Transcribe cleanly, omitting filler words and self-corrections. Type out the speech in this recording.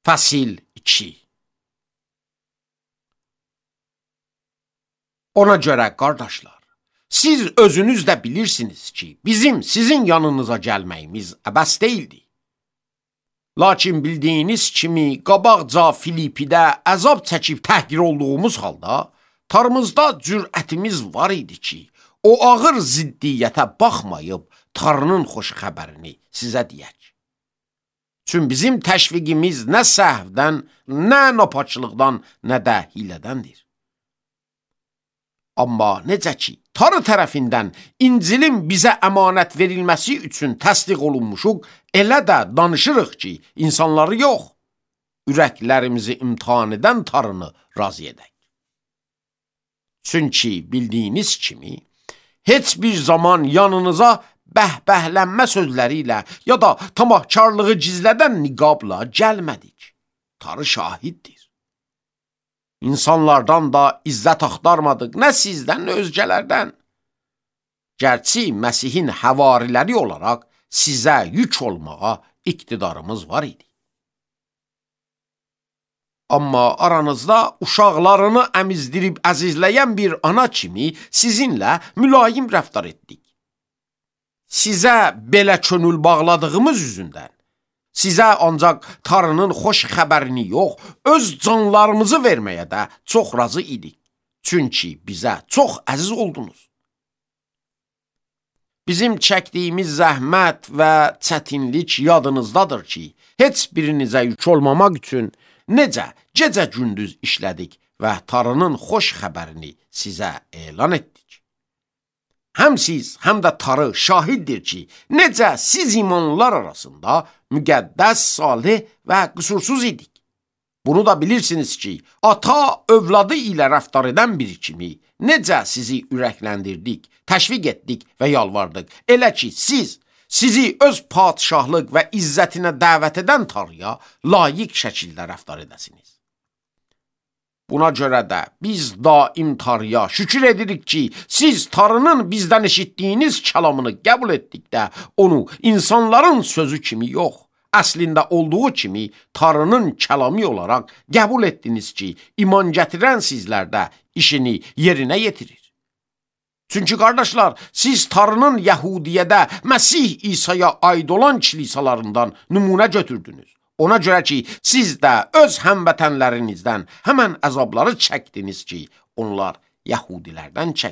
Fəsil 2. Ona görə qardaşlar, siz özünüz də bilirsiniz ki, bizim sizin yanınıza gəlməyimiz əbəs deyildi. Lakin bildiyiniz kimi, qabaqca Filipidə əzab çəkib təhqir olduğumuz halda, tarımızda cürətimiz var idi ki, o ağır ziddiyyətə baxmayıb, Tanrının xoş xəbərini sizə deyək. Çünki bizim təşviqimiz nə səhvdən, nə napaçılıqdan, nə də hilədəndir. Amma necə ki, Tanrı tərəfindən İncilin bizə əmanət verilməsi üçün təsdiq olunmuşuq, elə də danışırıq ki, insanları yox, ürəklərimizi imtihan edən Tanrını razı edək. Çünki bildiyiniz kimi, heç bir zaman yanınıza bəhbəhlənmə sözləri ilə ya da tamahkarlığı gizlədən niqabla gəlmədik. Tanrı şahiddir. İnsanlardan da izzət axtarmadıq, nə sizdən, nə özgələrdən. Gərçi Məsihin həvariləri olaraq sizə yük olmağa iqtidarımız var idi. Amma aranızda uşaqlarını əmizdirib əzizləyən bir ana kimi sizinlə mülayim rəftar etdik. Sizə belə könül bağladığımız üzündən, sizə ancaq Tanrının xoş xəbərini yox, öz canlarımızı verməyə də çox razı idik. Çünki bizə çox əziz oldunuz. Bizim çəkdiyimiz zəhmət və çətinlik yadınızdadır ki, heç birinizə yük olmamaq üçün necə gecə-gündüz işlədik və Tanrının xoş xəbərini sizə elan etdik. Həm siz, həm də Tanrı şahiddir ki, necə siz imanlılar arasında müqəddəs, salih və qüsursuz idik. Bunu da bilirsiniz ki, ata övladı ilə rəftar edən biri kimi necə sizi ürəkləndirdik, təşviq etdik və yalvardıq. Elə ki, sizi öz padişahlıq və izzətinə dəvət edən Tanrıya layiq şəkildə rəftar edəsiniz. Buna görə də biz daim Tanrıya şükür edirik ki, siz Tanrının bizdən eşitdiyiniz kəlamını qəbul etdikdə onu insanların sözü kimi yox, əslində olduğu kimi Tanrının kəlamı olaraq qəbul etdiniz ki, iman gətirən sizlərdə işini yerinə yetirir. Çünki qardaşlar, siz Tanrının Yəhudiyyədə Məsih İsa'ya aid olan kilisalarından nümunə götürdünüz. Ona görə ki, siz də öz həmvətənlərinizdən həmən əzabları çəkdiniz ki, onlar Yəhudilərdən çəkdilər.